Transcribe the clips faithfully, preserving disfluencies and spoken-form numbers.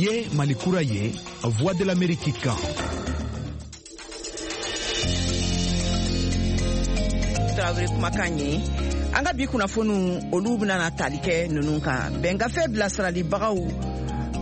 Nin ye Mali kura ye, Voix de l'Amérique kan. Tarawele kumakan ye. An ka bi kunnafoniw, olu bɛna na tali kɛ ninnu kan: bɛnkafe bilasiralibagaw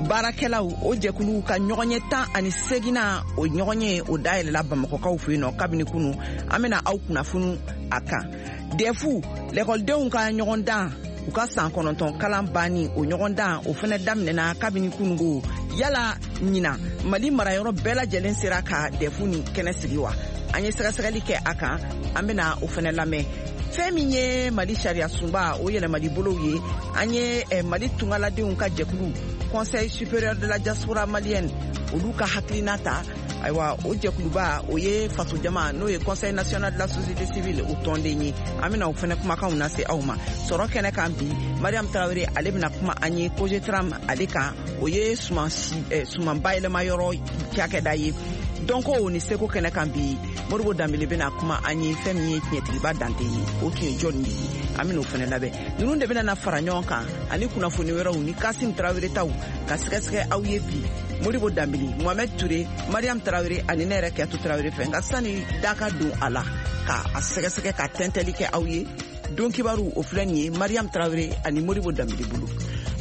baarakɛlaw, o jɛkulu ka ɲɔgɔnye tan ani seginna, o ɲɔgɔnye o dayɛlɛla Bamakɔkaw fɛ yen nɔ kabini kunu. An bɛna aw kunnafoni a kan. D E F, lɛkɔlidenw ka ɲɔgɔndan, u ka san kɔnɔntɔn kalan banni, o ɲɔgɔndan o fɛnɛ daminɛna kabini kunungo. Yala ɲina Mali marayɔrɔ bɛɛ lajɛlen sera ka D E F ni kɛnɛ sigi wa? An ye sɛgɛsɛgɛli kɛ a kan, an bena o fɛnɛ lamɛn. Fɛn min ye Mali sariya sunba o yɛlɛmali bolow ye, an ye eh, Mali tungaladenw ka jɛkulu, Conseil supérieur de la diaspora malienne, olu ka hakilina ta. Ayiwa, o jɛkuluba o ye fasojama, n'o ye Conseil national de la société civile, o tɔnden ye. An bena o fɛnɛ kumakanw lase aw ma. Sɔrɔ kɛnɛ kan bi, Mariam Tarawele, ale bena kuma an ye Cogetram ale kan, o ye suman eh, suman bayɛlɛma yɔrɔ cakɛda ye. Dɔnko ni seko kɛnɛ kan bi, Modibo Danbele bena kuma an ye fɛn min ye tiɲɛtigiba Dante ye, o tun ye jɔnni de ye? An ben'o fɛnɛ labɛn. Ninnu de bena na fara ɲɔgɔn kan ani kunnafoni wɛrɛw ni Kasim Tarawele taw ka sɛgɛsɛgɛ aw ye bi, Modibo Danbele, Mohamɛd Ture, Mariam Tarawele ani ne yɛrɛ Kɛtu Tarawele fɛ. Nka sani da ka don a la ka a sɛgɛsɛgɛ ka tɛntɛli kɛ aw ye, don kibaru o filɛ nin ye Mariam Tarawele ani Modibo Danbele bolo.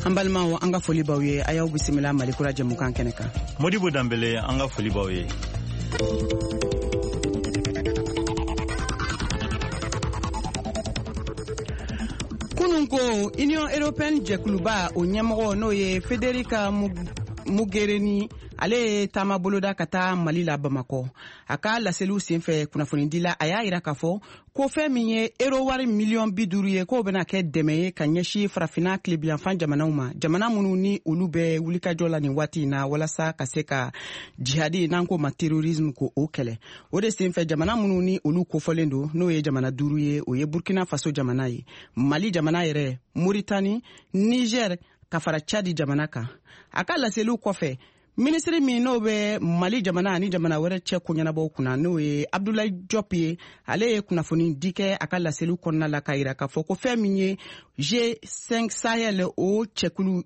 An balimaw, an ka foli b'aw ye. A y'aw bisimila Malikura jɛmukan kɛnɛ kan. Modibo Danbele, an ka foli b'aw ye. Kunun ko Union européenne jɛkuluba o ɲɛmɔgɔ, n'o ye Federica Mogherini, ale ye taama boloda ka taa Mali la, Bamakɔ. A ka laseliw senfɛ kunnafonidila, a y'a yira k'a fɔ ko fɛn min ye euro wari miliyɔn bi duuru ye, k'o bɛna kɛ dɛmɛ ye ka ɲɛsin Farafina tilebiyanfan jamanaw ma, jamana minnu ni olu bɛ wulikajɔ la nin waati in na walasa ka se ka jihadi, n'an k'o ma terrorisme, ko o kɛlɛ. O de senfɛ, jamana minnu ni olu kofɔlen don, n'o ye jamana duuru ye, o ye Burkina Faso jamana ye, Mali jamana yɛrɛ, Moritani, Niger ka fara Chadi jamana kan. A ka laseliw kɔfɛ, minisiri min n'o bɛ Mali jamana ani jamana wɛrɛ cɛ koɲɛnabɔw kunna, n'o ye Abdoulaye Diop ye, ale ye kunnafoni di kɛ a ka laseliw kɔnɔna la k'a yira k'a fɔ ko fɛn min ye G cinq Sahel o cɛkulu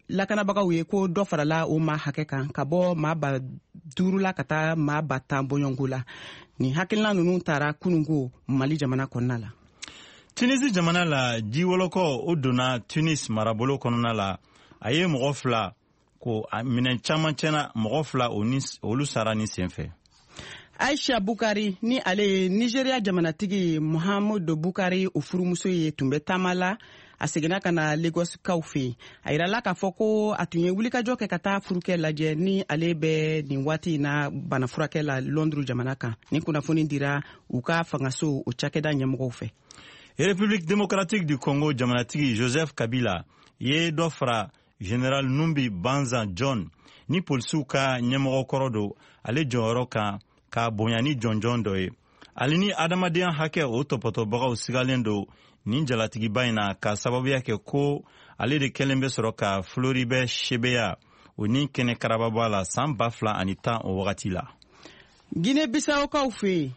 lakanabagaw ye, ko dɔ farala o maa hakɛ kan ka bɔ maa ba duuru la ka taa maa ba tan bɔɲɔnko la. Nin hakilina ninnu taara kununko Mali jamana kɔnɔna la. Tunisi jamana la, jiwɔlɔkɔ o donna Tunis marabolo kɔnɔna la, a ye mɔgɔ fila ko minɛn caman tiɲɛna, mɔgɔ fila olu sara ni senfɛ. Aisha Bukari, ni ale ye Nigeria jamanatigi Muhammadu Bukari o furumuso ye, tun bɛ taama la, a seginna ka na Lagos kaw fɛ yen. A yirala k'a fɔ ko a tun ye wulikajɔ kɛ ka taa furukɛ lajɛ, ni ale bɛ nin waati in na bana furakɛ la Londres jamana kan. Ni kunnafoni dira u ka fangaso o cakɛda ɲɛmɔgɔw fɛ. République démocratique du Congo jamanatigi Joseph Kabila ye dɔ fara Général Numbi Banza John, ni polisiw ka ɲɛmɔgɔ kɔrɔ don, ale jɔyɔrɔ kan ka bonya ni jɔnjɔn dɔ ye. Ale ni adamadenya hakɛ o tɔpɔtɔbagaw sigalen don nin jalatigiba in na, ka sababuya kɛ ko ale de kɛlen bɛ sɔrɔ ka Floribert Chebeya o ni kɛnɛ karababa la san ba fila ani tan o wagati la. Guinée Bissaukaw fɛ yen,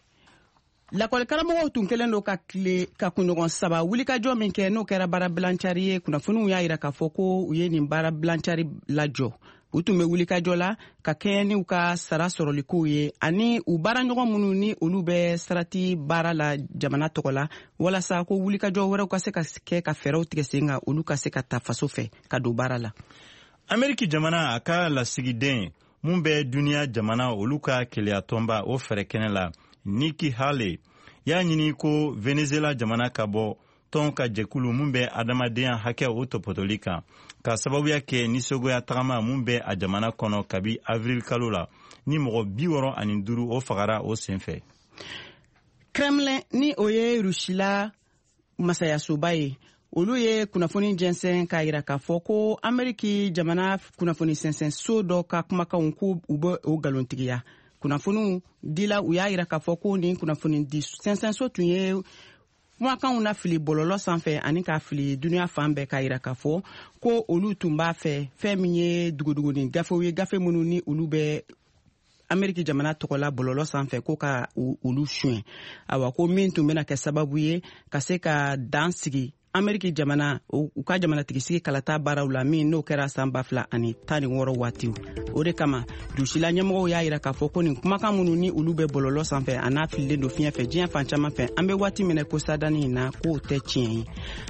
lakɔlikaramɔgɔw tun kɛlen don ka tile ka kunɲɔgɔn saba wulikajɔ min kɛ, n'o kɛra baara bilancari ye, kunnafoniw y'a yira k'a fɔ ko u ye nin baara bilancari lajɔ. U tun bɛ wulikajɔ la ka kɛɲɛ n'u ka sara sɔrɔlikow ye ani u baaraɲɔgɔn minnu ni olu bɛ sarati baara la jamana tɔgɔ la, walasa ko wulikajɔ wɛrɛw ka se ka kɛ ka fɛɛrɛw tigɛ sen kan, olu ka se ka ta faso fɛ ka don baara la. Ameriki jamana a ka lasigiden mun bɛ duniɲa jamana olu ka keleyatɔnba o fɛɛrɛ kɛnɛ la, Nikki Haley, y'a ɲini ko Venezuela jamana ka bɔ tɔn ka jɛkulu mun bɛ adamadenya hakɛ o tɔpɔtɔli kan, ka sababuya kɛ nisɔngoya tagama mun bɛ a jamana kɔnɔ kabi avril kalo la, ni mɔgɔ bi wɔrɔ ani duuru o fagara o senfɛ. Kremlin, ni o ye Rusila masayasoba ye, olu ye kunnafoni jɛnsɛn k'a yira k'a fɔ ko Ameriki jamana kunnafoni sɛnsɛnso dɔ ka kumakanw, ko u bɛ o nkalontigiya. Kunnafoniw dila u y'a yira k'a fɔ ko nin kunnafoni di sɛnsɛnso tun ye kumakanw na fili bɔlɔlɔ sanfɛ ani k'a fili duniɲa fan bɛɛ, k'a yira k'a fɔ ko olu tun b'a fɛ fɛn min ye duguduguni gafew ye, gafe minnu ni olu bɛ Ameriki jamana tɔgɔla bɔlɔlɔ sanfɛ, ko ka olu suɲɛ. Awa, ko min tun bɛna kɛ sababu ye ka se ka dan sigi. Ameriki jamana u ka jamanatigisigi kalata baaraw la min n'o kɛra san ba fila ani tan ni wɔɔrɔ waatiw. O de kama dusila ɲɛmɔgɔw y'a yira k'a fɔ ko nin kumakan minnu ni olu bɛ bɔlɔlɔ sanfɛ a n'a fililen don fiɲɛ fɛ diɲɛ fan caman fɛ, an bɛ waati minɛ ko sadani in na k'o tɛ tiɲɛ ye.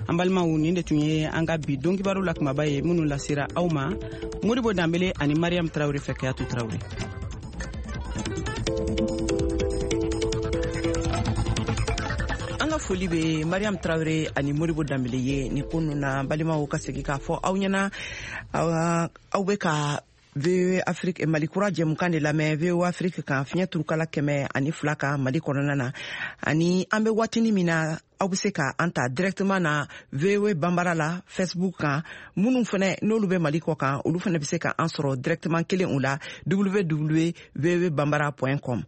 An balimaw, nin de tun ye an ka bi don kibaru la kumaba ye minnu lasera aw ma Modibo Danbele ani Mariam Traoré fɛ. Kayatu Traoré. An ka foli bɛ Mariam Traoré ani Modibo Danbele ye nin ko ninnu na. Balimaw, ka segin k'a fɔ aw ɲɛna, aw bɛ ka V O A Afrique Mali kura jɛmukan de lamɛn V O A Afrique kan fiɲɛ turukala kɛmɛ ani fila kan Mali kɔnɔna na. Ani an bɛ waatini min na, aw bɛ se ka an ta directement na V O A Banbara la Facebook kan. Minnu fɛnɛ n'olu bɛ Mali kɔ kan, olu fɛnɛ bɛ se ka an sɔrɔ directement kelen o la w w w v o a banbara point com.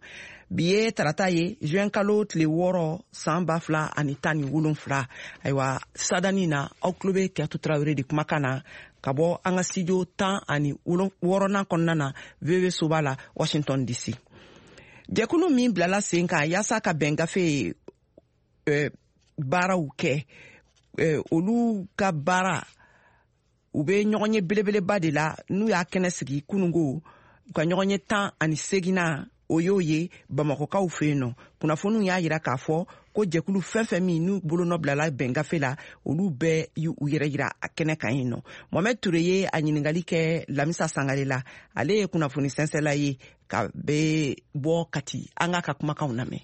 Bi ye tarata ye, juin kalo tile wɔɔrɔ san ba fila ani tan ni wolonfila. Ayiwa, sadani na aw tulo bɛ Kayatu Traoré de kumakan na ka bɔ an ka studio tan ani wɔɔrɔnan kɔnɔna na V O A soba la Washington D C. Jɛkulu min bilala sen kan yaasa ka bɛn gafe eh, baaraw kɛ, eh, olu ka baara u bɛ ɲɔgɔn ye belebeleba de la n'u y'a kɛnɛ sigi kunungo, u ka ɲɔgɔn ye tan ani seginna o y'o ye Bamakɔkaw fɛ yen nɔ. Kunnafoniw y'a yira k'a fɔ ko jɛkulu fɛn fɛn min n'u bolonɔ bilala bɛn gafe la, olu bɛɛ y'u yɛrɛ yira a kɛnɛ kan yen nɔ. Mohamed Touré ye a ɲininkali kɛ Lamisa Sangare la, ale ye kunnafoni sɛnsɛla ye ka bɛ bɔ Kati. An k'a ka kumakanw lamɛn.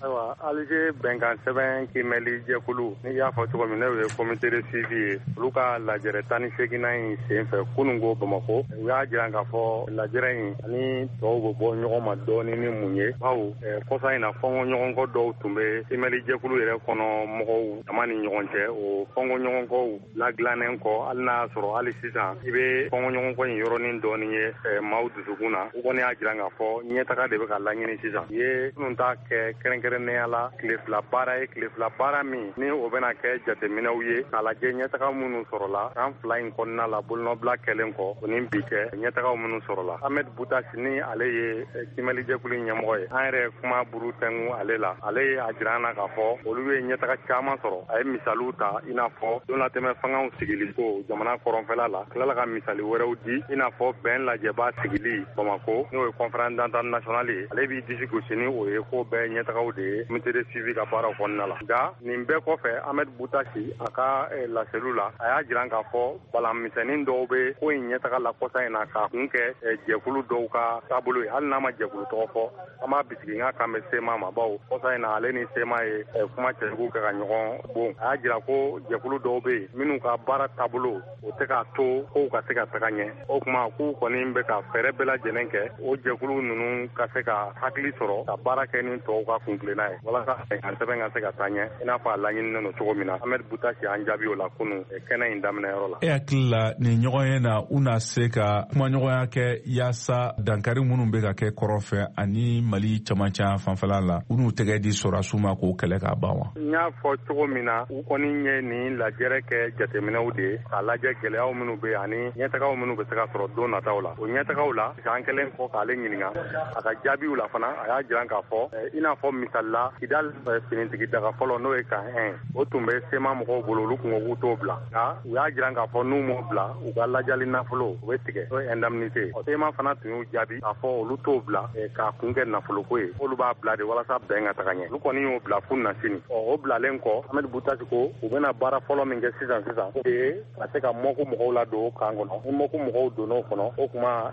Ayiwa, Alger bɛnkan sɛbɛn kiimɛli jɛkulu, n'i y'a fɔ cogo min, n'o ye comité de suivi ye, olu ka lajɛrɛ tan ni seginnan in sen fɛ kununko Bamakɔ, u y'a jira k'a fɔ lajɛrɛ in ani tɔw bɛ bɔ ɲɔgɔn ma dɔɔni ni mun ye, bawo kɔsa in na fɔnkɔ ɲɔgɔnkɔ dɔw tun bɛ kiimɛli jɛkulu yɛrɛ kɔnɔ mɔgɔw dama ni ɲɔgɔn cɛ. O fɔnkɔ ɲɔgɔnkɔw ladilannen kɔ, hali n'a y'a sɔrɔ hali sisan i bɛ fɔnkɔ ɲɔgɔnkɔ in yɔrɔnin dɔɔni ye maaw dusukun na, u kɔni y'a jira k'a fɔ ɲɛtaga de bɛ ka laɲini sisan. U ye minnu ta kɛ kɛrɛnkɛrɛn la tile fila baara ye, tile fila baara min ni o bɛna kɛ jateminɛw ye k'a lajɛ ɲɛtaga minnu sɔrɔla san fila in kɔnɔna la bolonɔbila kɛlen kɔ o ni bi cɛ, ɲɛtagaw minnu sɔrɔla. Ahmed Boutache ni ale ye kiimɛlijɛkulu ɲɛmɔgɔ ye, an yɛrɛ kuma buru tɛnku ale la, ale ye a jira an na k'a fɔ olu ye ɲɛtaga caman sɔrɔ. A ye misaliw ta i n'a fɔ donlatɛmɛ fangaw sigili ko jamana kɔrɔnfɛla la, tilala ka misali wɛrɛw di i n'a fɔ bɛn lajɛba sigili Bamakɔ, n'o ye conférence d'entente nationale ye. Ale b'i disi gosi ni o ye ko bɛɛ ɲɛtagaw de ye comité de suivi ka baaraw kɔnɔna la. Nka nin bɛɛ kɔfɛ, Ahmed Boutache a ka laseliw la, a y'a jira k'a fɔ balan misɛnnin dɔw bɛ ko in ɲɛtaga la kɔsa in na k'a kun kɛ jɛkulu dɔw ka taabolo ye. Hali n'a ma jɛkulu tɔgɔ fɔ, an b'a bisigi n ka kan bɛ SEMA ma, bawo kɔsa in na ale ni SEMA ye kuma cɛjugu kɛ ka ɲɔgɔn bon. A y'a jira ko jɛkulu dɔw bɛ yen minnu ka baara taabolo o tɛ k'a to kow ka se ka taga ɲɛ. O tuma k'u kɔni bɛ ka fɛɛrɛ bɛɛ lajɛlen kɛ o jɛkulu ninnu ka se ka hakili sɔrɔ ka baara kɛ ni tɔw ka kunkilenna ye walasa bɛnkan sɛbɛn ka se ka taa ɲɛ i n'a fɔ a laɲininen don cogo min na. Ahmed Boutache y'an jaabi o la kunun kɛnɛ in daminɛyɔrɔ la. E hakili la nin ɲɔgɔn ye na, u na se ka kumaɲɔgɔnya kɛ yaasa dankari minnu bɛ ka kɛ kɔrɔn fɛ ani Mali camancɛ fanfɛla la, u n'u tɛgɛ di sɔrɔdasiw ma k'o kɛlɛ k'a ban wa? N y'a fɔ cogo min na, u kɔni ye nin lajɛrɛ kɛ jateminɛw de ye k'a lajɛ gɛlɛyaw minnu bɛ yen ani ɲɛtagaw minnu bɛ se ka sɔrɔ don nataw la. O ɲɛtagaw la, an kɛlen kɔ k'ale ɲininka a ka jaabiw la fana, a y'a jira k'a fɔ i n'a fɔ misali la Kidal finitigi daga fɔlɔ n'o ye kan un, o tun bɛ SEMA mɔgɔw bolo, olu kun ko k'u t'o bila. Nka u y'a jira k'a fɔ n'u m'o bila, u ka lajali nafolo o bɛ tigɛ, n'o ye indemnité. SEMA fana tun y'u jaabi k'a fɔ olu t'o bila k'a kun kɛ nafoloko ye, olu b'a bila de walasa bɛn ka taga ɲɛ. Olu kɔni y'o bila f'u na sini. Ɔ o bilalen kɔ, Ahmed Boutache ko u bɛna baara fɔlɔ min kɛ sisan sisan, o de ye ka se ka mɔku mɔgɔw ladon kan kɔnɔ. Ni mɔku mɔgɔw donn'o kɔnɔ, o tuma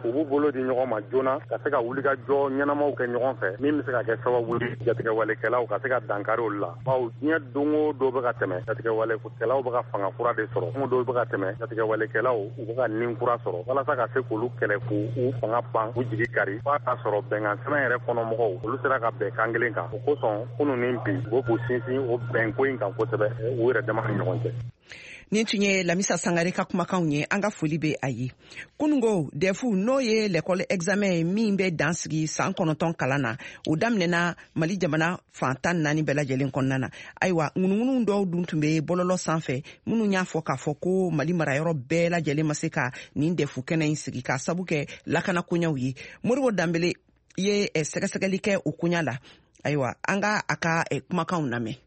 u b'u bolo di ɲɔgɔn ma joona ka se ka wulikajɔ ɲɛnamaw kɛ ɲɔgɔn fɛ min bɛ se ka kɛ sababu ye jatigɛwalekɛlaw ka se ka dankari olu la. Bawo diɲɛ don o don bɛ ka tɛmɛ, jatigɛwalekɛlaw bɛ ka fanga kura de sɔrɔ, don o don bɛ ka tɛmɛ, jatigɛwalekɛlaw u bɛ ka nin kura sɔrɔ walasa ka se k'olu kɛlɛ k'u fanga ban, k'u jigi kari, f'a k'a sɔrɔ bɛnkan sɛbɛn yɛrɛ kɔnɔ mɔgɔw olu sera ka bɛn kan kelen kan. O kosɔn kunun ni bi u bɛ k'u sinsin o bɛnko in kan kosɛbɛ u yɛrɛ dama ni ɲɔgɔn cɛ. Nin tun ye Lamisa Sangare ka kumakanw ye, an ka foli bɛ a ye. Kunungo DEF n'o ye l'école examen ye min bɛ dan sigi san kɔnɔntɔn kalan na, o daminɛna Mali jamana fan tan naani bɛɛ lajɛlen kɔnɔna na. Ayiwa, ŋunuŋunu dɔw dun tun bɛ bɔlɔlɔ sanfɛ minnu y'a fɔ k'a fɔ ko Mali marayɔrɔ bɛɛ lajɛlen ma se ka nin DEF kɛnɛ in sigi k'a sabu kɛ lakana koɲɛw ye. Modibo Danbele ye sɛgɛsɛgɛli kɛ o koɲa la. Ayiwa, an ka a ka kumakanw lamɛn.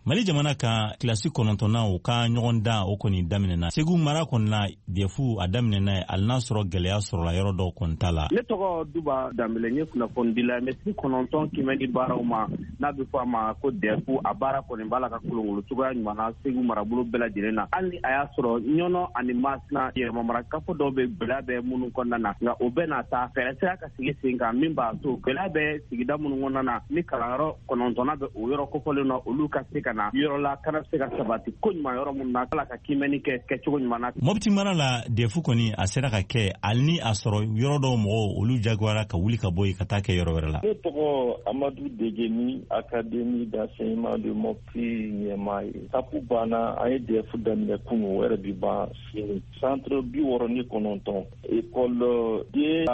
Mali jamana kan kilasi kɔnɔntɔnnan o ka ɲɔgɔn dan o kɔni daminɛna Segu mara kɔni na D E F a daminɛna, hali n'a sɔrɔ gɛlɛya sɔrɔla yɔrɔ dɔw kɔni ta la. Ne tɔgɔ Duba Danbele, n ye kunnafonidila n bɛ si kɔnɔntɔn kimɛni baaraw ma n'a bɛ fɔ a ma ko D E F. A baara kɔni b'a la ka kolongolo cogoya ɲuman na Segu marabolo bɛɛ lajɛlen na, hali ni a y'a sɔrɔ Ɲɔnɔ ani Masina yɛrɛmamara kafo dɔw bɛ gɛlɛya bɛ minnu kɔnɔna na. Nka o bɛɛ n'a ta, fɛɛrɛ sera ka sigi sen kan min b'a to gɛlɛya bɛ sigida minnu kɔnɔna na, ni kalanyɔrɔ kɔnɔntɔnna bɛ o yɔrɔ kofɔlen na, olu ka se ka na yɔrɔ la kana se ka sabati ko ɲuman yɔrɔ minnu na, ala ka kimɛni kɛ kɛcogo ɲuman na. Mɔpiti mara la, D E F kɔni a sera ka kɛ, hali ni a sɔrɔ yɔrɔ dɔw mɔgɔw olu jagoyara ka wuli ka bɔ yen ka taa kɛ yɔrɔ wɛrɛ la. Ne tɔgɔ Amadu Degeni, Académie d'enseignement de Mopti ɲɛmaa ye. Tapu banna, an ye D E F daminɛ kunu, o yɛrɛ bi ban sini. Centre bi wɔɔrɔ ni kɔnɔntɔn, école den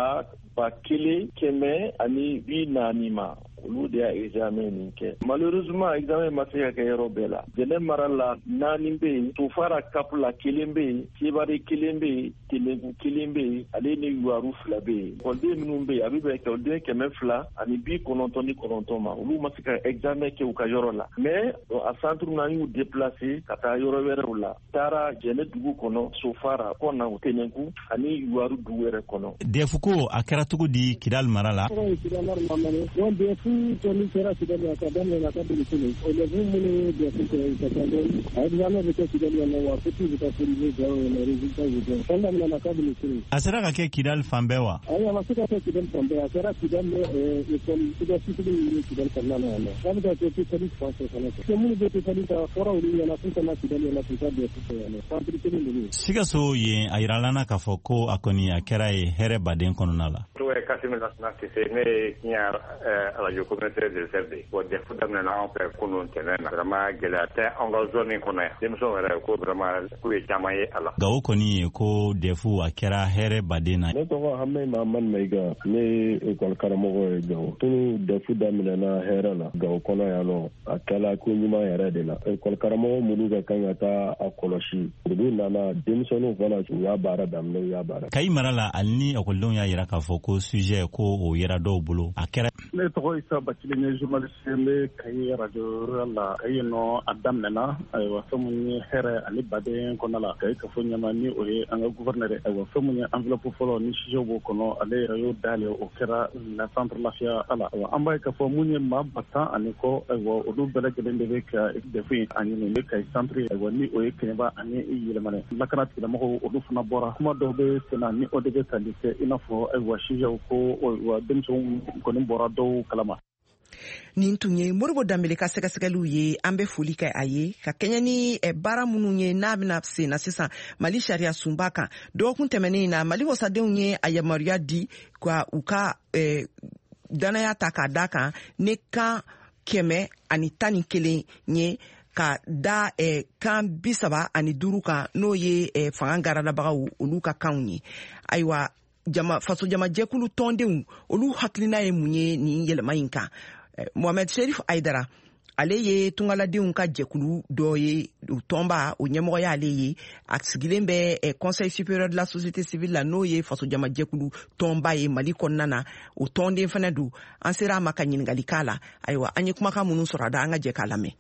ba kelen kɛmɛ ani bi naani ma, olu de y'a examen nin kɛ. Malheureusement, examen ma se ka kɛ yɔrɔ bɛɛ la. Jɛnɛ mara la, naani bɛ yen, Tofara Cap la kelen bɛ yen, Sebare kelen bɛ yen, Telenku kelen bɛ yen, ale ni Yuwaru fila bɛ yen. Ekɔliden minnu bɛ yen, a bɛ bɛn ekɔliden kɛmɛ fila ani bi kɔnɔntɔn ni kɔnɔntɔn ma, olu ma se ka examen kɛ u ka yɔrɔ la. Mais a centre na, an y'u déplacer ka taa yɔrɔ wɛrɛw la, taara Jɛnɛ dugu kɔnɔ, Sofara kɔna, Tenenku ani Yuwaru dugu yɛrɛ kɔnɔ. D E F ko a kɛra cogo di Kidal mara la? Kɔni kɛra Kidali ka daminɛ ka daminɛ sini, élèves minnu ye D E F kɛ ka ca dɔɔni, a examen bɛ kɛ Kidali yan nɔ, wa copie bɛ taa corriger Gawo yen nɔ, résultat bɛ bɔ. Fɛn daminɛna kabini sini. A sera ka kɛ Kidal fan bɛɛ wa? Ayi, a ma se ka kɛ Kidali fan bɛɛ. A kɛra Kidali école université min ye Kidali kɔnɔna na yan nɔ, a bɛ ka kɛ Tessalit fan fɛ fana fɛ. Minnu bɛ Tessalit, a fɔra olu ɲɛna k'u ka na Kidali yan nɔ k'u ka D E F kɛ yan nɔ, centre kelen de bɛ yen. Sikaso yen, a yirala na k'a fɔ ko a kɔni a kɛra ye hɛrɛ baden kɔnɔna la. Tɔgɔ ye Kasimi Lasina Sise, ne ye Kiɲa radio communautaire de réserve de. Bon, D E F daminɛna anw fɛ kunun tɛnɛn na. Vraiment, gɛlɛya tɛ anw ka zone in kɔnɔ yan. Denmisɛnw yɛrɛ ko vraiment k'u ye caman ye a la. Gawo kɔni ye ko D E F a kɛra hɛrɛ baden na. Ne tɔgɔ Hamɛ Mahamani Mayiga, ne ye ekɔli karamɔgɔ ye Gawo. Tunu D E F daminɛna hɛrɛ la Gawo kɔnɔ yan nɔ, a kɛla ko ɲuman yɛrɛ de la. Ekɔli karamɔgɔ minnu ka kan ka taa a kɔlɔsi, olu nana, denmisɛnninw fana u y'a baara daminɛ, u y'a baara. Kayi mara la, hali ni ekɔlidenw y'a yira k'a fɔ ko sujet ko o yera dɔw bolo, a kɛra. Ne tɔgɔ Isa Bacili, n ye journaliste, n bɛ Kayi radio rural la. Kayi nɔ, a daminɛna, ayiwa, fɛn mun ye hɛrɛ ani baden kɔnɔna la. Kayi kafo ɲɛma, ni o ye an ka gouverneur ye, ayiwa, fɛn mun ye enveloppe fɔlɔ ni sujet b'o kɔnɔ, ale yɛrɛ y'o dayɛlɛ, o kɛra la centre lafiya ala. Ayiwa, an b'a ye k'a fɔ mun ye maa ba tan ani kɔ, ayiwa, olu bɛɛ lajɛlen de bɛ ka D E F in a ɲini bɛ Kayi centre, ayiwa, ni o ye Kɛɲɛba ani Yɛlɛmanɛ. Lakana tigilamɔgɔw, olu fana bɔra, kuma dɔw bɛ sen na ni o de bɛ tali kɛ i n'a fɔ, ayiwa, sujet ko, ayiwa, denmisɛnw kɔni bɔra dɔw kalama. Nin tun ye Moribo Danbele ka sɛgɛsɛgɛliw ye. An bɛ foli kɛ a ye ka kɛɲɛ ni baara minnu ye n'a bɛna sen na sisan Mali sariya sunba kan. Dɔgɔkun tɛmɛnen na, Mali wasadenw ye a yamaruya di ka u ka eh, danaya ta k'a da kan ne kan kɛmɛ ani tan ni kelen ye ka da eh, kan bi saba ani duuru kan, n'o ye eh, fanga garadabagaw olu ka kanw ye. Ayiwa, jama faso jamajɛkulu tɔndenw, olu hakilina ye mun ye nin yɛlɛma in kan? Mohamed Sherif Aidara, ale ye tungaladenw ka jɛkulu dɔ ye, o tɔnba o ɲɛmɔgɔ y'ale ye. A sigilen bɛ Conseil supérieur de la société civile la, n'o ye fasojamajɛkulu tɔnba ye Mali kɔnɔna na, o tɔnden fana don. An sera a ma ka ɲininkali k'a la. Ayiwa, an ye kumakan minnu sɔrɔ a da, an ka jɛ k'a lamɛn.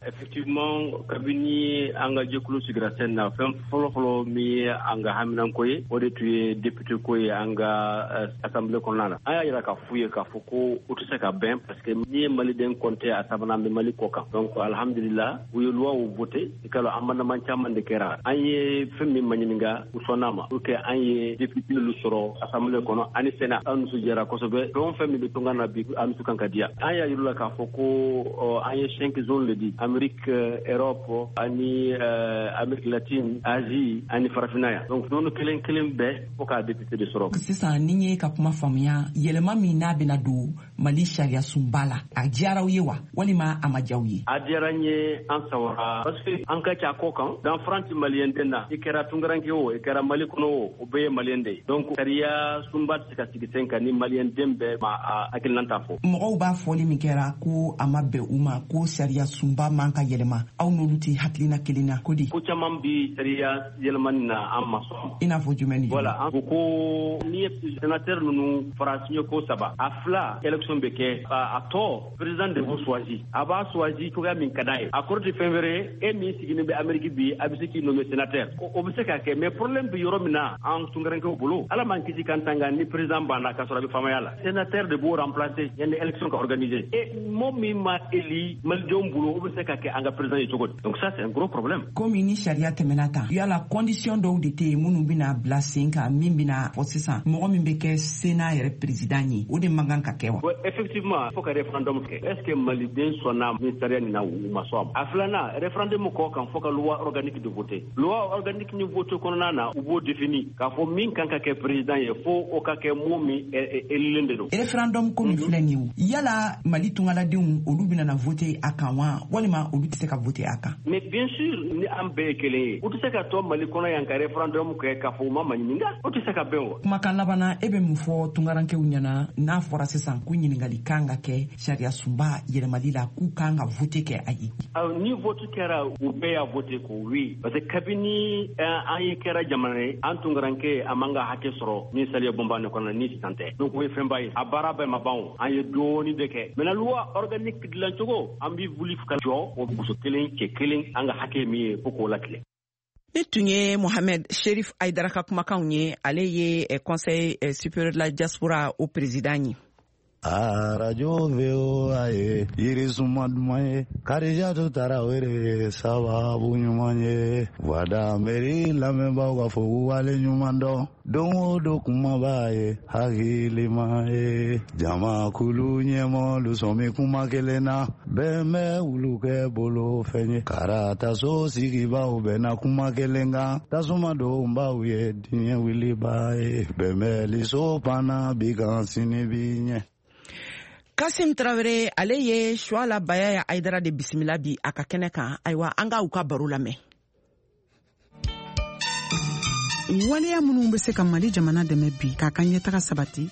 Effectivement, kabini an ka jɛkulu sigira sen na, fɛn fɔlɔ-fɔlɔ min ye an ka haminanko ye, o de tun ye député ko ye an ka assemblée kɔnɔna na. An y'a yira k'a f'u ye k'a fɔ ko u tɛ se ka bɛn, parce que n'i ye maliden compter, a sabanan bɛ Mali kɔ kan. Donc alhamdulillah, u ye loi voté. I ka dɔn, amendement caman de kɛra. An ye fɛn min maɲininka, u sɔnn'a ma pour que an ye député lu sɔrɔ assemblée kɔnɔ ani Sénat. An nisɔndiyara kosɛbɛ. Fɛn o fɛn min bɛ tunga na bi, an dusu kan ka diya. An y'a yir'u la k'a fɔ ko an ye cinq zones de di: Amérique, Europe ani Amérique latine, Asie ani Farafinna yan. Donc zone kelen kelen bɛɛ fo k'a député de sɔrɔ. Sisan, ni ye ka kuma faamuya, yɛlɛma min n'a bɛna don Mali sariya sunba la, a diyara aw ye wa, walima a ma diya aw ye? A diyara n ye, an sawara, parce que an ka ca kɔ kan danfara ti maliyɛn den na. I kɛra tunkaranke o, i kɛra Mali kɔnɔ o, o bɛɛ ye maliyɛn de ye. Donc sariya sunba tɛ se ka sigi sen kan ni maliyɛn den bɛɛ ma a hakilinan ta fɔ. Mɔgɔw b'a fɔli min kɛra ko a ma bɛn u ma, ko sariya sunba ma man ka yɛlɛma, aw n'olu tɛ hakilina kelen na ko di? Ko caman bi sariya yɛlɛmani na an ma sɔn. I n'a fɔ jumɛn ni jumɛn? Voilà, an ko ko n'i ye sénateur ninnu fara siɲɛ ko saba, a fila élection bɛ kɛ, a tɔ président de b'o choisi, a b'a choisi cogoya min ka d'a ye. A kɔrɔ tɛ fɛn wɛrɛ ye, e min sigilen bɛ Amérique bi, a bɛ se k'i nommer sénateur, o bɛ se ka kɛ. Mais problème bɛ yɔrɔ min na an tunkarankew bolo, Ala m'an kisi k'an tanga ni président banna k'a sɔrɔ a bɛ faamaya la, sénateur de b'o remplacer yanni élection ka organiser. Et mɔgɔ min ma éli malidenw bolo, o bɛ se ka kɛ an ka président ye cogo di? Donc ça c'est un gros problème. Komi ni sariya tɛmɛna tan, yala condition dɔw de tɛ yen minnu bɛna bila sen kan min bɛna fɔ sisan mɔgɔ min bɛ kɛ Sénat yɛrɛ président ye, o de man kan ka kɛ wa? Ouais, effectivement, fo ka référendum kɛ. Est-ce que maliden sɔnna ni sariya nin na u ma sɔn a ma? A filanan, référendum kɔ kan fo ka loi organique de voter. Loi organique ni vote kɔnɔna na, u b'o défini k'a fɔ min kan ka kɛ président ye, fo o ka kɛ mɔgɔ min élilen de don. Référendum ko min filɛ nin ye, yala Mali tungaladenw olu bɛna na voter a kan wa, walima olu tɛ se ka voter a kan? Mais bien sûr, ni an bɛɛ ye kelen ye, u tɛ se ka to Mali kɔnɔ yan ka référendum kɛ k'a fɔ u ma maɲininka, o tɛ se ka bɛn o. Kumakan laban na, e bɛ mun fɔ tunkarankew ɲɛna n'a fɔra sisan ko ɲininkali kan ka kɛ sariya sunba yɛlɛmali la, k'u kan ka vote kɛ a ye? Ni vote kɛra, u bɛɛ y'a vote ko oui, parce que kabini an ye kɛra jamana ye, an tunkaranke a man ka hakɛ sɔrɔ ni sariya bonba nin kɔnɔ ni sisan tɛ. Donc o ye fɛnba ye, a baara bɛɛ ma ban o, an ye dɔɔni de kɛ. Maintenant loi organique dilan cogo, an bɛ wuli ka jɔ o muso kelen cɛ kelen an ka hakɛ min ye fo k'o latigɛ. Ni tun ye Mohamed Sherif Aidara ka kumakanw ye, ale ye Conseil supérieur de la diaspora o président ye. Arajo V O A ye yirisuma duman ye, Karijatu Tarawele sababu ɲuman ye, Voix d'Amérique lamɛnbaaw ka fɔ k'u wale ɲuman dɔn, don o don kumaba ye hakilima ye, jamakulu ɲɛmɔgɔlu sɔn bɛ kuma kelen na, bɛn bɛ wulu kɛ bolo fɛn ye, karataso sigibaaw bɛnna kuma kelen kan, tasuma donbaw ye diɲɛ wuliba ye, bɛnbɛnliso panna bi kan sini bi ɲɛ. Kasim Traoré, ale ye Suala Bayaya Aidara de bisimila bi a ka kɛnɛ kan. Ayiwa, an ka u ka baro lamɛn. Waleya minnu bɛ se ka Mali jamana dɛmɛ bi k'a ka ɲɛtaga sabati.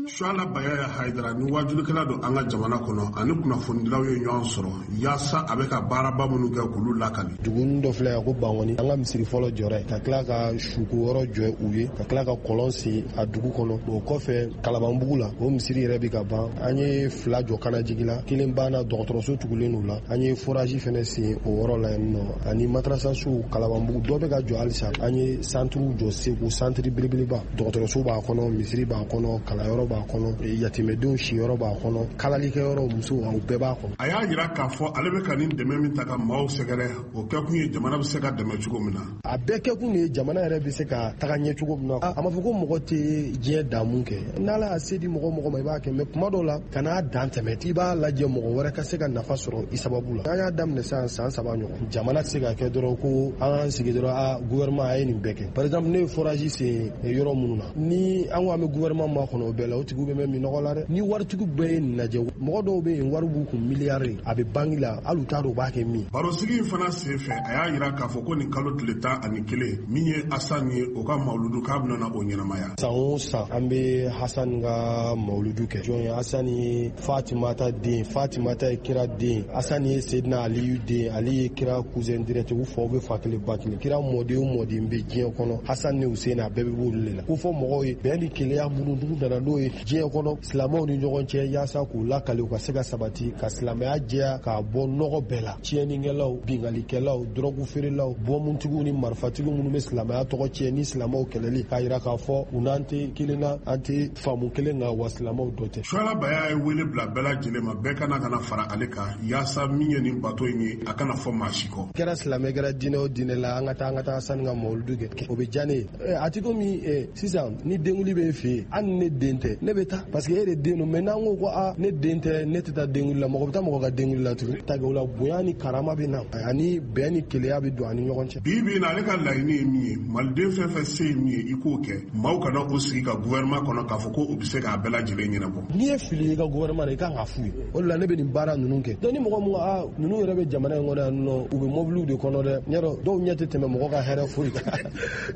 Suala Bayaya Haidara ni wajulikɛla don an ka jamana kɔnɔ, ani kunnafonidilaw ye ɲɔgɔn sɔrɔ yaasa a bɛ ka baaraba minnu kɛ k'olu lakali. Duguni dɔ filɛ yan ko Bankɔni, an ka misiri fɔlɔ jɔra yen, ka tila ka suko yɔrɔ jɔ u ye, ka tila ka kɔlɔn sen a dugu kɔnɔ. O kɔfɛ Kalabanbugu la, o misiri yɛrɛ bɛ ka ban, an ye fila jɔ Kanajigi la, kelen banna dɔgɔtɔrɔso tugulen d'o la, an ye forage fɛnɛ sen o yɔrɔ la yen nɔ, ani madrasasow Kalabanbugu dɔ bɛ ka jɔ halisa, an ye santiriw jɔ Segu, santiri belebeleba, dɔgɔtɔrɔso b'a kɔnɔ, misiri b'a kɔnɔ, kalanyɔrɔ b'a kɔnɔ, yatimɛdenw siyɔrɔ b'a kɔnɔ, kalalikɛyɔrɔ, musow, aw bɛɛ b'a kɔnɔ. A y'a jira k'a fɔ ale bɛ ka nin dɛmɛ min ta ka maaw sɛgɛrɛ, o kɛkun ye jamana bɛ se ka dɛmɛ cogo min na. A bɛɛ kɛkun de ye jamana yɛrɛ bɛ se ka taga ɲɛ cogo min na. A ma fɔ ko mɔgɔ tɛ diɲɛ damu kɛ, n'Ala y'a se di mɔgɔ mɔgɔ ma i b'a kɛ, mais kuma dɔw la kan'a dan tɛmɛ, i b'a lajɛ mɔgɔ wɛrɛ ka se ka nafa sɔrɔ i sababu la. An y'a daminɛ sisan san saba ɲɔgɔn, jamana tɛ se ka kɛ dɔrɔn ko an k'an sigi dɔrɔn a gouvernement a ye nin bɛɛ kɛ. Par exemple, ne ye forage sen yɔrɔ minnu na, ni an ko an bɛ gouvernement makɔnɔ o bɛɛ la, o tigiw bɛ mɛn minɔgɔ la dɛ. Ni waritigiw bɛɛ ye nin lajɛ, mɔgɔ dɔw bɛ yen wari b'u kun miliyari, a bɛ banki la, hali u t'a dɔn u b'a kɛ min. Barosigi in fana sen fɛ, a y'a jira k'a fɔ ko nin kalo tile tan ani kelen min ye Asan ye, o ka mawuludu k'a bɛna na o ɲɛnamaya. San o san an bɛ Hasan ka mawuludu kɛ. Jɔn ye Hasan ye? Fatimata den, Fatimata ye kira den, Hasan ye Sedina Aliyu den, Ali ye kira cousin direct, u faw bɛ fa kelen ba kelen. Kira mɔden o mɔden bɛ diɲɛ kɔnɔ, Hasan ni Hussein a bɛɛ bɛ b'olu de la. Ko fɔ mɔgɔw ye bɛn ni kelenya minnu n'u nana n'o ye diɲɛ kɔnɔ silamɛw ni ɲɔgɔn cɛ, yaasa k'u lakali u ka se ka sabati, ka silamɛya jɛya k'a bɔ nɔgɔ bɛɛ la. Tiɲɛnikɛlaw, binkalikɛlaw, dɔrɔgu feerelaw, bɔnmuntigiw ni marifatigiw minnu bɛ silamɛya tɔgɔ tiɲɛ ni silamɛw kɛlɛli, k'a jira k'a fɔ u n'an tɛ kelen na, an tɛ faamu kelen kan, wa silamɛw dɔ tɛ. Suala Baya ye wele bila bɛɛ lajɛlen ma, bɛɛ kana kana fara ale kan yaasa min ye nin bato in ye, a kana fɔ maa si kɔ. Kɛra silamɛ kɛra diinɛ o diinɛ la, an ka taa an ka taa sani ka mawuludu kɛ, o bɛ diya ne ye. A ti komi sisan ni denkuli bɛ e fɛ yen, hali ni ne den tɛ, ne bɛ taa parce que e de den don. Mais n'an ko ko aa ne den tɛ, ne tɛ taa denkuli la, mɔgɔ bɛ taa mɔgɔ ka denkuli la tugun. Ta o la bonya ni karama bɛ na, ani bɛn ni kelenya bɛ don ani ɲɔgɔn cɛ. Bi bi in na, ale ka laɲini ye min ye, maliden fɛn fɛn se ye min ye, i k'o kɛ. Maaw kana o sigi ka gouvernement kɔnɔ k'a fɔ ko o bɛ se k'a bɛɛ lajɛlen ɲɛnabɔ. N'i ye fili ye i ka gouvernement na, i kan k'a f'u ye. O de la ne bɛ nin baara ninnu kɛ. Donc ni mɔgɔ mun ko aa ninnu yɛrɛ bɛ jamana in kɔnɔ yan nɔ, u bɛ mɔbiliw de kɔnɔ dɛ, ɲɛ dɔw ɲɛ tɛ tɛmɛ mɔgɔ ka hɛrɛ foyi kan.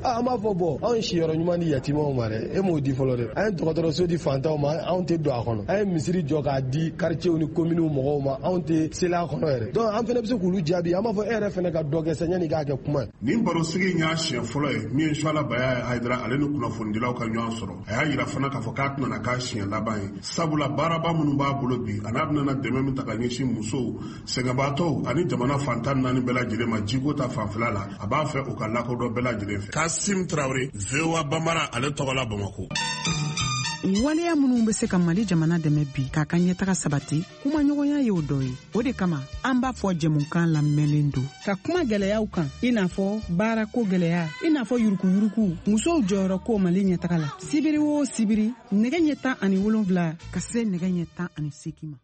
An b'a fɔ bɔn, anw ye siyɔrɔ ɲuman di yatimɛw ma dɛ, e m'o di fɔlɔ dɛ. An ye dɔgɔtɔrɔso di fantanw ma, anw tɛ don a kɔnɔ. An ye misiri jɔ k'a di quartier ni commune mɔgɔw ma, anw tɛ seli a kɔnɔ yɛrɛ. Donc an fana bɛ se k'olu jaabi, an b'a fɔ e yɛrɛ fana ka dɔ kɛ sa yanni i k'a kɛ kuma ye. Nin barosigi in y'a siɲɛ fɔlɔ ye min ye Suala Baya Hayidara ale ni kunnafonidilaw ka ɲɔgɔn sɔrɔ. A y'a yira fana k'a fɔ k'a tɛna na k'a siɲɛ laban ye, sabula baaraba minnu b'a bolo bi a n'a bɛna dɛmɛ min ta ka ɲɛsin musow, sɛgɛnbaatɔw ani jamana fantan naani bɛɛ lajɛlen ma jiko ta fanfɛla la, a b'a fɛ u ka lakodɔn bɛɛ lajɛlen fɛ. Kasim Traoré, V O A Bambara, ale tɔgɔ la Bamakɔ. Waleya minnu bɛ se ka Mali jamana dɛmɛ bi k'a ka ɲɛtaga sabati, kumaɲɔgɔnya y'o dɔ ye. O de kama an b'a fɔ jɛmukan lamɛnlen don ka kuma gɛlɛyaw kan, i n'a fɔ baarako gɛlɛya, i n'a fɔ yurukuyuruku, musow jɔyɔrɔ ko Mali ɲɛtaga la. Sibiri o sibiri, nɛgɛ ɲɛ tan ani wolonwula ka se nɛgɛ ɲɛ tan ani seegin ma.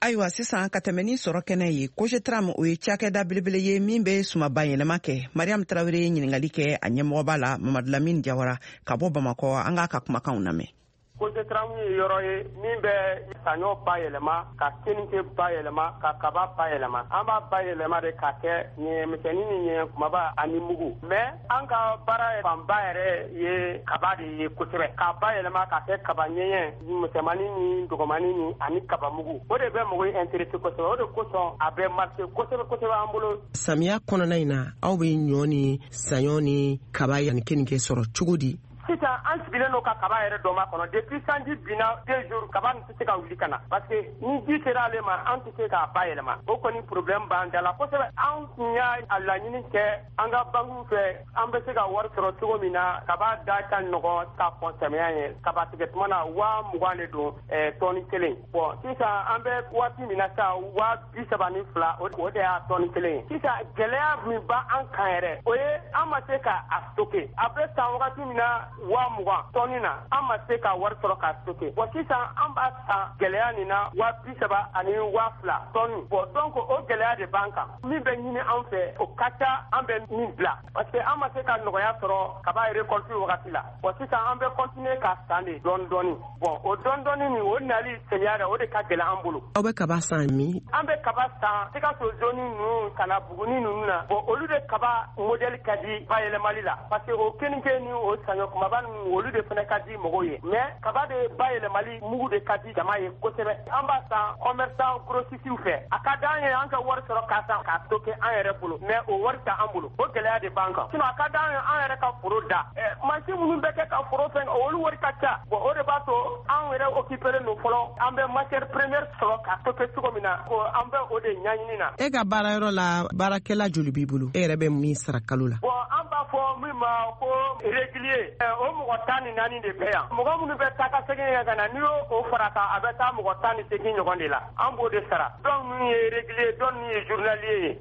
Ayiwa, sisan ka tɛmɛ ni sɔrɔ kɛnɛ ye, Cogetram o ye cakɛda belebele ye min bɛ sumaba yɛlɛma kɛ. Mariam Traoré ye ɲininkali kɛ a ɲɛmɔgɔba la, Mamadu Lamine Jawara ka bɔ Bamakɔ. An k'a ka kumakanw lamɛn. Cogetram ye yɔrɔ ye min bɛ saɲɔ bayɛlɛma, ka keninke bayɛlɛma, ka kaba bayɛlɛma. An b'a bayɛlɛma de k'a kɛ ɲɛmisɛnnin ni ɲɛ kumaba ani mugu. Mais an ka baara fanba yɛrɛ ye kaba de ye kosɛbɛ, k'a bayɛlɛma k'a kɛ kaba ɲɛɲɛ misɛnmanin ni dɔgɔmanin ni ani kaba mugu. O de bɛ mɔgɔw intéressé kosɛbɛ, o de kosɔn a bɛ marché kosɛbɛ kosɛbɛ an bolo. Samiya kɔnɔna in na, aw bɛ ɲɔ ni saɲɔ ni kaba ani keninke sɔrɔ cogo di? Sisan an sigilen don ka kaba yɛrɛ dɔ ma kɔnɔ depuis sanji binna deux jours, kaba nin tɛ se ka wuli ka na, parce que ni ji sera ale ma, an tɛ se k'a bayɛlɛma. O kɔni problème b'an da la kosɛbɛ. An tun y'a laɲini kɛ an ka banques fɛ, an bɛ se ka wari sɔrɔ cogo min na kaba da ka nɔgɔn ka kɔn samiya ye. Kaba tigɛ tuma na waa mugan de don tɔni kelen. Bon, sisan an bɛ waati min na sisan, waa bi saba ni fila, o de y'a tɔni kelen ye. Sisan gɛlɛya min b'an kan yɛrɛ, o ye an ma se k'a stocker. A bɛ san wagati min na waa mugan tɔni na, an ma se ka wari sɔrɔ k'a stocker. Bon, sisan an b'a san gɛlɛya nin na waa bi saba ani waa fila tɔni. Bon, donc o gɛlɛya de b'an kan. Min bɛ ɲini an fɛ, o ka ca an bɛ min bila, parce que an ma se ka nɔgɔya sɔrɔ kaba récolte wagati la. Bon, sisan an bɛ continuer k'a san de dɔɔni dɔɔni. Bon, o dɔɔni dɔɔni nin, o nali samiya rɛ, o de ka gɛlɛn an bolo. Aw bɛ kaba san min? An bɛ kaba san Sikaso zone ninnu ka na Buguni ninnu na. Bon, olu de kaba modèle ka di bayɛlɛmali la, parce que o keninke ni o saɲɔ kumaba ninnu, olu de fana ka di mɔgɔw ye. Mais kaba de bayɛlɛmali mugu de ka di jama ye kosɛbɛ. An b'a san commerçant grossistes fɛ. A ka d'an ye an ka wari sɔrɔ k'a san k'a stocker an yɛrɛ bolo, mais o wari t'an bolo. O gɛlɛya de b'an kan. Sinon a ka d'an ye an yɛrɛ ka foro da. Mansin minnu bɛ kɛ ka foro fɛn, olu wari ka ca. Bon, o de b'a to an yɛrɛ occupé don fɔlɔ, an bɛ matière première sɔrɔ k'a stocker cogo min na, ko an bɛ o de ɲɛɲini na. E ka baarayɔrɔ la, baarakɛla joli b'i bolo? E yɛrɛ bɛ min sara kalo la? Bon, an b'a fɔ min ma ko régulier, o mɔgɔ tan ni naani de bɛ yan. Mɔgɔ minnu bɛ taa ka segin kɛ ka na, n'i y'o o fara kan, a bɛ taa mɔgɔ tan ni seegin ɲɔgɔn de la. An b'o de sara. Dɔw minnu ye régulier, dɔw minnu ye journalier ye.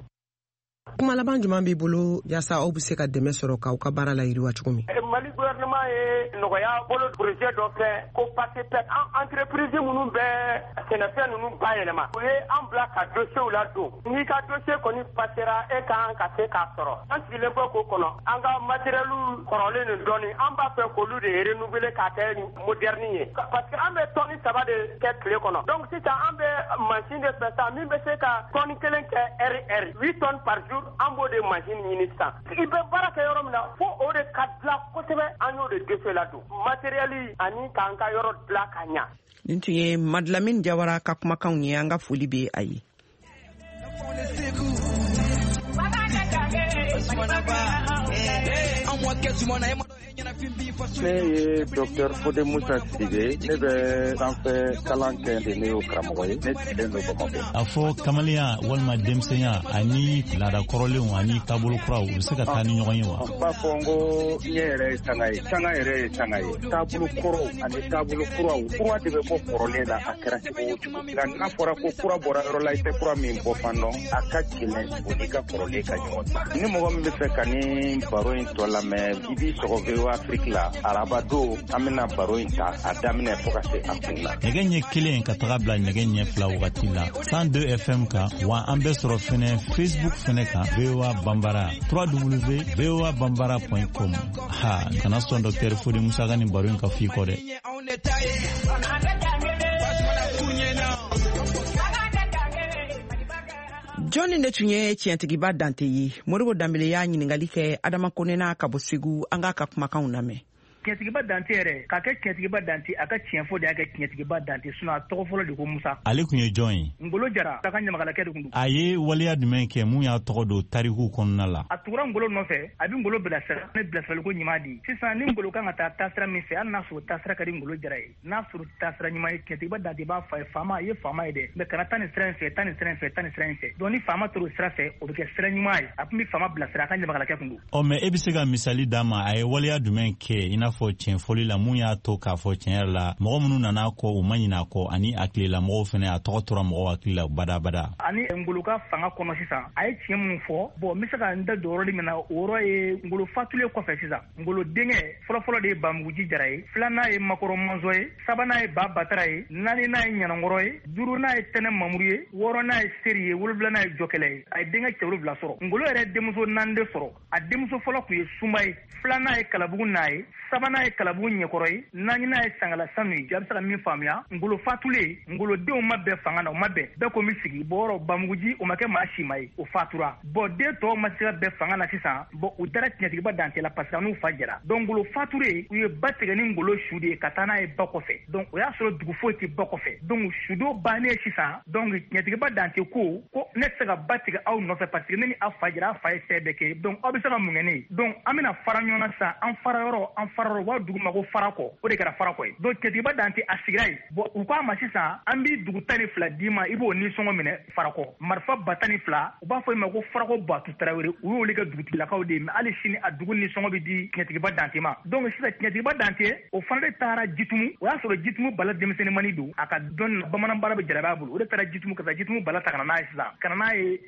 Kuma laban jumɛn b'i bolo yaasa aw bɛ se ka dɛmɛ sɔrɔ k'aw ka baara la yiriwa cogo min? Mali gouvernement ye nɔgɔya bolo projet dɔ fɛ ko PACEPEC. An entreprise minnu bɛ sɛnɛfɛn ninnu bayɛlɛma, u ye an bila ka dossier ladon. N'i ka dossier kɔni passera, e kan ka se k'a sɔrɔ. An sigilen bɛ k'o kɔnɔ. An ka matériel kɔrɔlen nin dɔɔni, an b'a fɛ k'olu de renouveler k'a kɛ moderne ye, parce que an bɛ tɔni saba de kɛ tile kɔnɔ. Donc sisan an bɛ machine de fɛ sisan min bɛ se ka tɔni kelen kɛ heure heure, huit tonnes par jour. An b'o de machine ɲini sisan. I bɛ baara kɛ yɔrɔ min na, fo o de ka dilan kosɛbɛ. An y'o de dossier ladon, matériel ani k'an ka yɔrɔ dilan ka ɲa. Nin tun ye Madilamine Jawara ka kumakanw ye. An ka foli bɛ a ye. Ne ye Docteur Fode Musa Sidibe, ne bɛ sanfɛ kalan kɛ de, ne y'o karamɔgɔ ye, ne sigilen don Bamakɔ. A fɔ kamalenya walima denmisɛnya ani laada kɔrɔlenw ani taabolo kuraw, u bɛ se ka taa ni ɲɔgɔn ye wa? N b'a fɔ n ko ɲɛ yɛrɛ ye sanga ye, sanga yɛrɛ ye sanga ye. Taabolo kɔrɔw ani taabolo kuraw, kura de bɛ bɔ kɔrɔlen na a kɛra cogo o cogo. Nka n'a fɔra ko kura bɔra yɔrɔ la, i tɛ kura min bɔ fan dɔn, a ka gɛlɛn o n'i ka kɔrɔlen ka ɲɔgɔn ta. Ni mɔgɔ min bɛ fɛ ka ni baro in tɔ lamɛn, i b'i sɔgɔ V O A Afrique la araba don, an bɛna baro in ta a daminɛ fo ka se a kun na. Nɛgɛ ɲɛ kelen ka taga bila nɛgɛ ɲɛ fila wagati la cent deux F M kan, wa an bɛ sɔrɔ fɛnɛ Facebook fɛnɛ kan, V O A Bambara, w w w point v o a bambara point com. Ha, kana sɔn Docteur Fode Musa ka nin baro in ka f'i kɔ dɛ. Jɔnni de tun ye tiɲɛtigiba Dante ye? Modibo Danbele y'a ɲininkali kɛ Adama Kone n'a ka bɔ Segu. An k'a ka kumakanw lamɛn. Tiɲɛtigiba Dante yɛrɛ k'a kɛ Tiɲɛtigiba Dante, a ka tiɲɛ fɔ de y'a kɛ Tiɲɛtigiba Dante, sinon a tɔgɔ fɔlɔ de ko Musa. Ale tun ye jɔn ye? Ngolo Jara, a ka ɲamakalakɛ de tun don. A ye waleya jumɛn kɛ mun y'a tɔgɔ don tariku kɔnɔna la? A tugura Ngolo nɔfɛ, a bɛ Ngolo bilasira, ne bilasiraliko ɲuman di. Sisan ni Ngolo kan ka taa taasira min fɛ, hali n'a sɔrɔ taasira ka di Ngolo Jara ye, n'a sɔrɔ taasira ɲuman ye, Tiɲɛtigiba Dante b'a fɔ a ye, faama, i ye faama ye dɛ, mais kana taa nin sira in fɛ, taa nin sira in fɛ, taa nin sira in fɛ. Donc ni faama tor'o sira fɛ, o bɛ kɛ sira ɲuman ye. A tun bɛ faama bilasira, a ka ɲamakalakɛ tun don. Ɔ mais e bɛ se ka misali d'a ma, a ye waleya jumɛn kɛ i n'a fɔ tiɲɛfɔli la mun y'a to k'a fɔ tiɲɛ yɛrɛ la mɔgɔ minnu nana a kɔ u ma ɲinɛ a kɔ, ani a tilelamɔgɔw fana a tɔgɔ tora mɔgɔw hakili la badabada? Ani Ngolo ka fanga kɔnɔ sisan, a ye tiɲɛ minnu fɔ, bon n bɛ se ka n da don yɔrɔ min na, o yɔrɔ ye Ngolo fatulen kɔfɛ sisan. Ngolo denkɛ fɔlɔfɔlɔ de ye Bamuguji Jara ye, filanan ye Makɔrɔ Mɔnzɔn ye, sabanan ye Ba Batara ye, naaninan ye Ɲanankɔrɔ ye, duurunan ye Tɛnɛ Mamuru ye, wɔɔrɔnan ye Seri ye, wolonwulanan ye Jɔkɛlɛ ye. A ye denkɛ cɛ wolonwula sɔrɔ. Ngolo yɛrɛ denmuso naani de sɔrɔ. A denmuso fɔlɔ tun ye Sunba ye, filanan ye Kalabugu n'a ye, sabanan ye Kalabugu Ɲɛkɔrɔ ye, naaninan ye Sangala Sanu ye. A bɛ se ka min faamuya, Ngolo fatulen, Ngolo denw ma bɛn fanga na, u ma bɛn, bɛɛ ko n bɛ sigi. Bon yɔrɔ Bamuguji o ma kɛ maa si ma ye, o fatura. Bon den tɔw ma se ka bɛn fanga na sisan, bon u dara Tiɲɛtigiba Dante la parce que n'u fa jɛra. Donc Ngolo fatulen, u ye ba tigɛ ni Ngolo su de ye ka taa n'a ye ba kɔfɛ. Donc o y'a sɔrɔ dugu foyi tɛ ba kɔfɛ. Donc sudo bannen sisan, donc Tiɲɛtigiba Dante ko ko ne tɛ se ka ba tigɛ aw nɔfɛ parce que ne ni aw fa jɛra, aw fa ye fɛn bɛɛ kɛ, donc aw bɛ se ka mun kɛ ne ye? Donc an bɛna fara ɲɔgɔn na sisan, an fara yɔrɔ, an fara yɔrɔ, u b'a dugu ma ko Farakɔ, o de kɛra Farakɔ ye. Donc Tiɲɛtigiba Dante a sigira yen. Bon u k'a ma sisan, an b'i dugu tan ni fila d'i ma, i b'o nisɔngɔ minɛ Farakɔ. Marifa ba tan ni fila, u b'a fɔ i ma ko Farakɔ Batu Tarawele, u y'olu kɛ dugutigilakaw de ye, mais hali sini a dugu nisɔngɔ bɛ di Tiɲɛtigiba Dante ma. Donc sisan Tiɲɛtigiba Dante o fana de taara Jitumu, o y'a sɔrɔ Jitumu Bala denmisɛnninmani don, a ka dɔn bamanan baara bɛ jarabi a bolo, o de taara Jitumu ka taa Jitumu Bala ta ka na n'a ye sisan, ka na n'a ye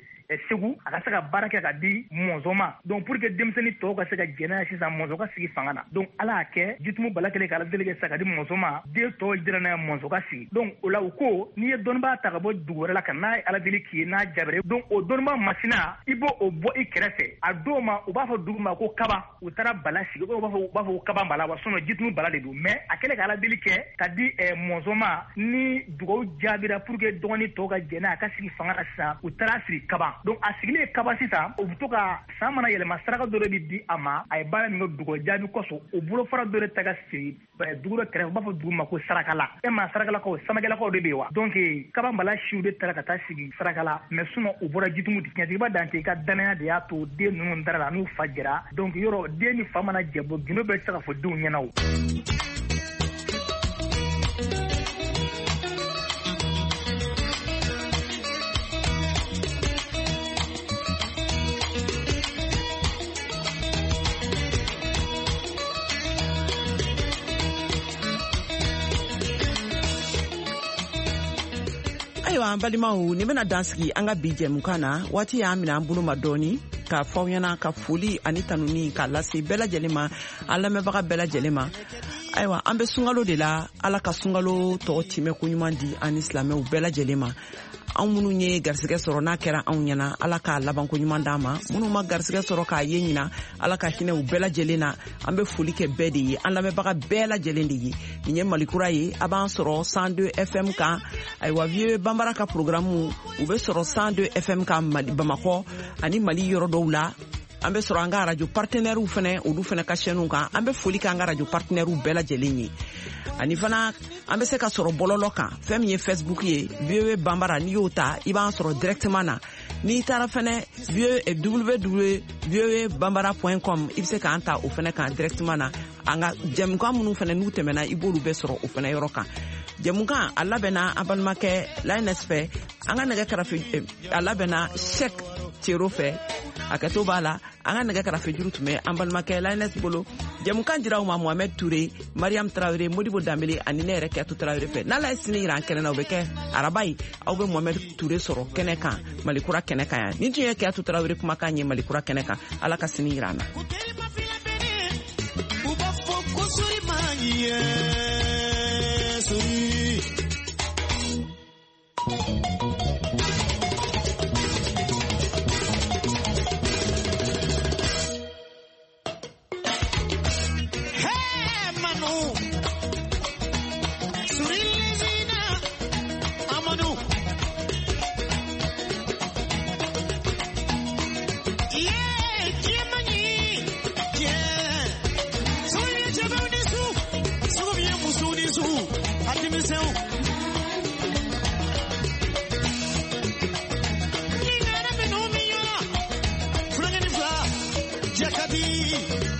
Segu, a ka se ka baara kɛ ka di Mɔnzɔn ma. Donc pour que denmisɛnnin tɔw ka se ka jɛn n'a ye sisan, Mɔnzɔn ka sigi fanga na. Donc Ala y'a kɛ Jitumu Bala kɛlen ka Ala deli kɛ sisan ka di Mɔnzɔn ma, den tɔw jɛra n'a ye, Mɔnzɔn ka sigi. Donc o la u ko n'i ye dɔnnibaa ta ka bɔ dugu wɛrɛ la ka n'a ye Ala deli k'i ye n'a jaabira, donc o dɔnnibaa masina i b'o o bɔ i kɛrɛfɛ. A dɔw ma u b'a fɔ dugu ma ko Kaba, u taara Bala sigi, u b'a fɔ u b'a fɔ ko Kaba Bala wa, sinon Jitumu Bala de don. Mais a kɛlen ka Ala deli kɛ ka di Mɔnzɔn ma, ni dugawu jaabira pour que dɔgɔnin tɔw ka jɛn n'a ye a ka sigi fanga na sisan, u taara sigi Kaba. Donc a sigilen Kaba sisan, u bɛ to ka san mana yɛlɛma saraka dɔ de bɛ di a ma, a ye baara min kɛ dugu jaabi kosɔn, o bolofara dɔ de ta ka sigi dugu dɔ kɛrɛfɛ, u b'a fɔ dugu ma ko Sarakala. E ma Sarakalakaw, Samakelakaw de bɛ yen wa? Donc Kaba Bala siw de taara ka taa sigi Sarakala, mais sinon u bɔra Jitumu de. Tiɲɛtigiba Dante ka danaya de y'a to den ninnu dara la n'u fa jɛra. Donc yɔrɔ den ni fa mana jɛ bɔ, gindo bɛɛ tɛ se ka fɔ denw ɲɛna o. Ayiwa an balimaw, nin bɛna dan sigi an ka bi jɛmukan na. Waati y'an minɛ an bolo ma dɔɔni k'a fɔ aw ɲɛna ka foli ani tanuni k'a lase bɛɛ lajɛlen ma, an lamɛnbaga bɛɛ lajɛlen ma. Ayiwa an bɛ sunkalo de la, Ala ka sunkalo tɔgɔ timɛ koɲuman di an ni silamɛw bɛɛ lajɛlen ma. Anw minnu ye garisɛgɛ sɔrɔ n'a kɛra anw ɲɛna, Ala k'a labanko ɲuman d'an ma. Minnu ma garisɛgɛ sɔrɔ k'a ye ɲina, Ala ka hinɛ u bɛɛ lajɛlen na. An bɛ foli kɛ bɛɛ de ye, an lamɛnbaga bɛɛ lajɛlen de ye. Nin ye Malikura ye, a b'an sɔrɔ cent deux F M kan. Ayiwa Vieux Bambara ka programme u bɛ sɔrɔ cent deux F M kan Mali, Bamakɔ ani Mali yɔrɔ dɔw la. An bɛ sɔrɔ an ka radio partenaires fɛnɛ, olu fɛnɛ ka chaîne kan. An bɛ foli kɛ an ka radio partenaires bɛɛ lajɛlen ye. Ani fana an bɛ se ka sɔrɔ bɔlɔlɔ kan, fɛn min ye Facebook ye, Vieux Bambara, n'i y'o ta i b'an sɔrɔ directement na. N'i taara fɛnɛ w w w point bambara point com, i bɛ se k'an ta o fɛnɛ kan directement na. An ka jɛmukan minnu fɛnɛ n'u tɛmɛna, i b'olu bɛɛ sɔrɔ o fɛnɛ yɔrɔ kan. Jɛmukan a labɛnna an balimakɛ Linus fɛ, an ka nɛgɛ karafe a labɛnna Cheikh Cero fɛ, a kɛto b'a la. An ka nɛgɛ karafe juru tun bɛ an balimakɛ Linus bolo. Jɛmukan dira aw ma Mohamed Touré, Mariam Traoré, Modibo Dambele ani ne yɛrɛ Kɛto Traoré fɛ. N'Ala ye sini yira an kɛnɛ na, o bɛ kɛ araba ye. Aw bɛ Mohamed Touré sɔrɔ kɛnɛ kan, Malikura kɛnɛ kan yan. Nin tun ye Kɛto Traoré kumakan ye Malikura kɛnɛ kan. Ala ka sini yira an na. Yeah, yeah, yeah. ka di.